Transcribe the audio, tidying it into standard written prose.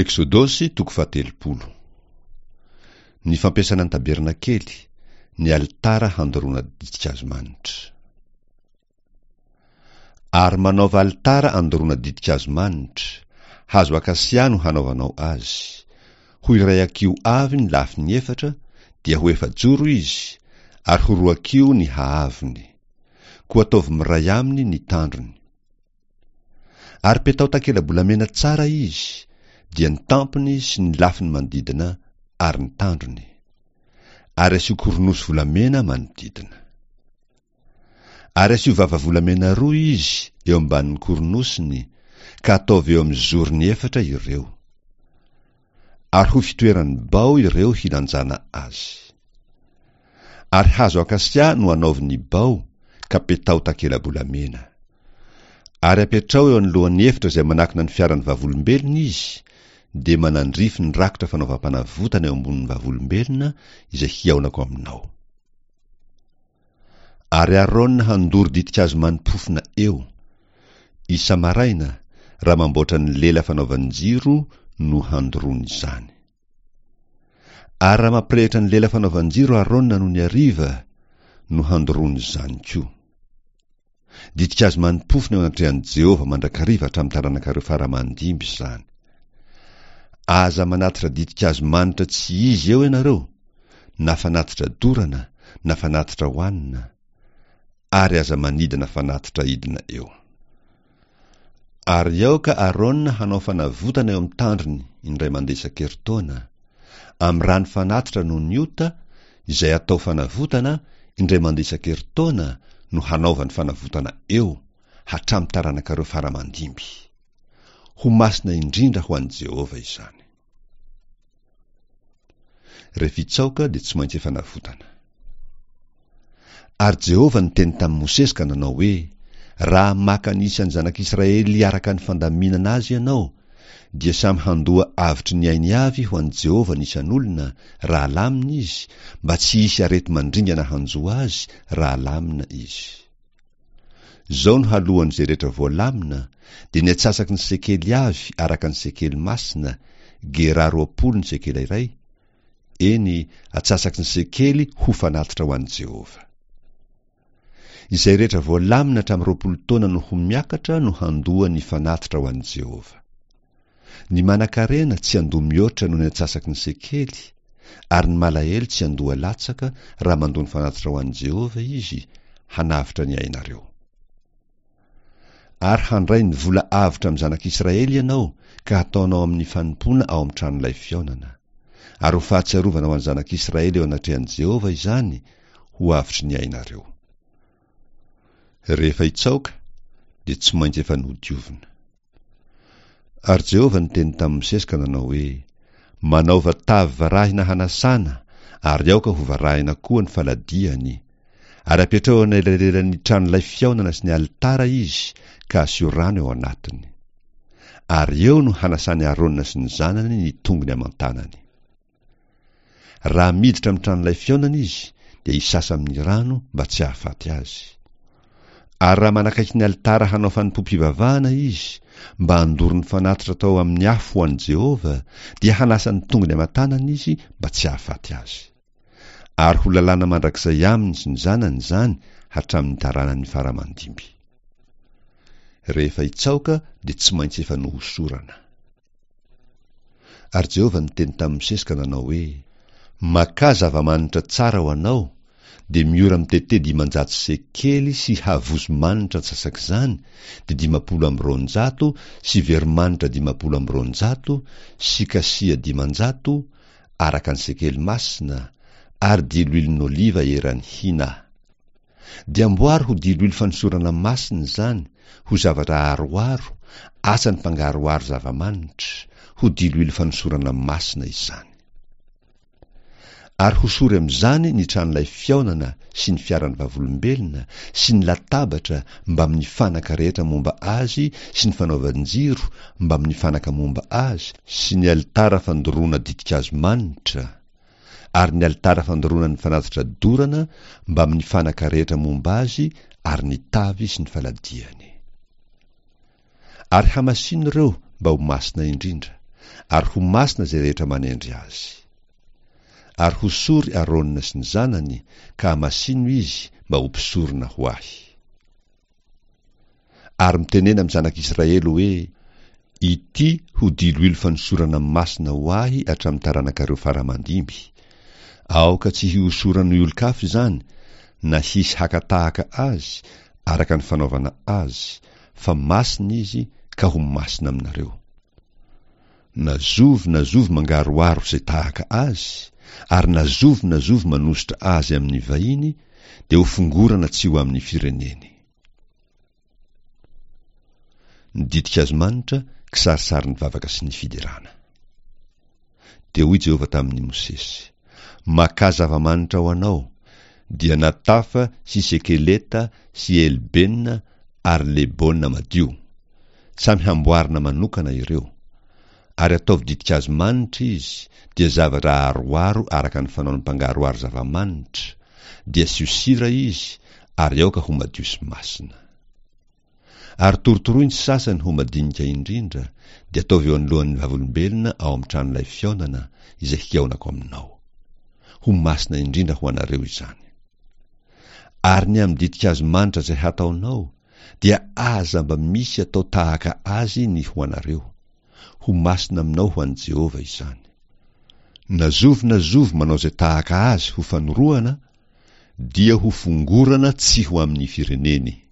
Eksodosy toko fahatelopolo. Ny fampiasana ny tabernakely, ny alitara handoroana ditin-kazo manitra. Ary manaova alitara andoroana ditin-kazo manitra, hazo akasia no hanaovanao azy. Ho iray hakiho avy ny lafiny efatra, dia ho efajoro izy, ary ho roa hakiho ny haavony. Koa ataovy miray aminy ny tandrony. Ary petao takela-bolamena tsara izy, dia ny tampony sy ny lafiny manodidina ary ny tandrony. Ary asio koronosy volamena manodidina. Ary asio vava volamena roa izy eo ambanin'ny koronosiny, ka ataovy eo amin'ny zorony efatra ireo. Ary ho fitoeran'ny bao ireo hilanjana azy. Ary hazo akasia no anaovy ny bao, ka petaho takela-bolamena. Ary apetraho eo anoloan'ny efitra izay manakona ny fiaran'ny vavolombelona izy, dia manandrify ny rakitra fanaovam-panavotana eo ambonin'ny vavolombelona izay hihaonako aminao. Ary Arona handoro ditin-kazo mani-pofona eo. Isa-maraina, raha mamboatra ny lela fanaovan-jiro no handoroany izany. Ary raha mampirehitra ny lela fanaovan-jiro Arona nony hariva, no handoroany izany koa. Ditin-kazo mani-pofona eo anatrehan'i Jehovah mandrakariva hatramin'ny taranakareo fara aman-dimby izany. Aza manatitra ditin-kazo manitra tsy izy eo ianareo, na fanatitra dorana, na fanatitra hohanina, ary aza manidina fanatitra idina eo. Ary aoka Arona hanao fanavotana eo amin'ny tandrony indray mandeha isan-kerintaona, amin'ny ràn'ny fanatitra noho ny ota, izay atao fanavotana, indray mandeha isan-kerintaona no hanaovany fanavotana eo, hatramin'ny taranakareo fara aman-dimby. Ho masina indrindra ho an'i Jehovah izany. Rehefa hitsaoka dia tsy maintsy efa navotana. Ary Jehovah niteny tamin'i Mosesy ka nanao hoe, Raha maka ny isan'ny zanak'Israely araka ny fandaminana azy ianao, dia samy handoa avotry ny ainy avy ho an'i Jehovah ny isan'olona, raha lamina izy, mba tsy hisy areti-mandringana hanjo azy raha lamina izy. Izao no haloan'izay rehetra voalamina, dia ny antsasaky ny sekely avy araka ny sekely masina, gerà 20 ny sekely iray, eny, antsasaky ny sekely ho fanatitra ho an'i Jehovah. Izay rehetra voalamina hatramin'ny 20 taona no ho miakatra no handoa ny fanatitra ho an'i Jehovah. Ny manankarena tsy handoa mihoatra noho ny antsasaky ny sekely, ary ny malahelo tsy handoa latsaka raha mandoa ny fanatitra ho an'i Jehovah izy, hanavotra ny ainareo. Ary handray ny vola avotra amin'ny zanak'Israely ianao ka hataonao amin'ny fanompoana ao amin'ny tranolay fihaonana. Ary ho fahatsiarovana ho an'ny zanak'Israely eo anatrehan'i Jehovah izany, ho avotry ny ainareo. Rehefa hitsaoka, dia tsy maintsy efa nodiovina. Ary Jehovah niteny tamin'i Mosesy ka nanao hoe, Manaova tavy varahina hanasana, ary aoka ho varahina koa ny faladiany. Ary apetraho eo anelanelan'ny tranolay fihaonana sy ny alitara izy, ka asio rano eo anatiny. Ary eo no hanasan'i Arona sy ny zanany ny tongony aman-tanany. Raha miditra amin'ny tranolay fihaonana izy, dia hisasa amin'ny rano mba tsy hahafaty azy. Ary raha manakaiky ny alitara hanao fanompoam-pivavahana izy, mba handoro ny fanatitra atao amin'ny afo ho an'i Jehovah, dia hanasa ny tongony aman-tanany izy mba tsy hahafaty azy. Ary ho lalàna mandrakizay aminy sy ny zanany izany hatramin'ny taranany fara aman-dimby. Rehefa hitsaoka dia tsy maintsy efa nohosorana. Ary Jehovah niteny tamin'i Mosesy ka nanao hoe, Makà zava-manitra tsara ho anao, dia miora mitete 500 sekely sy havozo manitra antsasak'izany, dia 250 sy veromanitra 250 sy kasia 500, araka ny sekely masina, ary diloilon'oliva eran'ny hina. Dia amboary ho diloilo fanosorana masina izany, ho zavatra aharoharo, asan'ny mpangaroharo zava-manitra, ho diloilo fanosorana masina izany. Ary hosory amin'izany ny tranolay fihaonana sy ny fiaran'ny vavolombelona sy ny latabatra mbamin'ny fanaka rehetra momba azy sy ny fanaovan-jiro mbamin'ny fanaka momba azy sy ny alitara fandoroana ditin-kazo manitra, ary ny alitara fandoroana ny fanatitra dorana mbamin'ny fanaka rehetra momba azy ary ny tavy sy ny faladiany. Ary hamasino ireo mba ho masina indrindra. Ary ho masina izay rehetra manendry azy. Ary hosory Arona sy ny zanany, ka hamasino izy mba ho mpisorona ho ahy. Ary mitenena amin'ny zanak'Israely hoe, Ity ho diloilo fanosorana masina ho ahy hatramin'ny taranakareo fara aman-dimby. Aoka tsy hihosoran'ny olon-kafa izany, na hisy haka tahaka azy, araka ny fanaovana azy, fa masina izy ka ho masina aminareo. Na zovy na zovy mangaroharo izay tahaka azy, ary na zovy na zovy manosotra azy amin'ny vahiny, dia ho fongorana tsy ho amin'ny fireneny. Ny ditin-kazo manitra, kisarisarin'ny vavaka sy ny fiderana. Dia hoy Jehovah tamin'i Mosesy, Makà zava-manitra ho anao, dia Natafa sy Sekeleta sy Elbena ary Lebona madio. Samy hamboarina manokana ireo. Ary ataovy ditin-kazo manitra izy, dia zavatra aharoharo araka ny fanaon'ny mpangaroharo zava-manitra, dia asio sira izy, ary aoka ho madio sy masina. Ary torotoroy ny sasany ho madinika indrindra, dia ataovy eo anoloan'ny vavolombelona ao amin'ny tranolay fihaonana, izay hihaonako aminao. Ho masina indrindra ho anareo izany. Ary ny amin'ny ditin-kazo manitra izay hataonao, dia aza mba misy atao tahaka azy ny ho anareo. Ho masina aminao ho an'i Jehovah izany. Na zovy na zovy manao izay tahaka azy ho fanorohana, dia ho fongorana tsy ho amin'ny fireneny.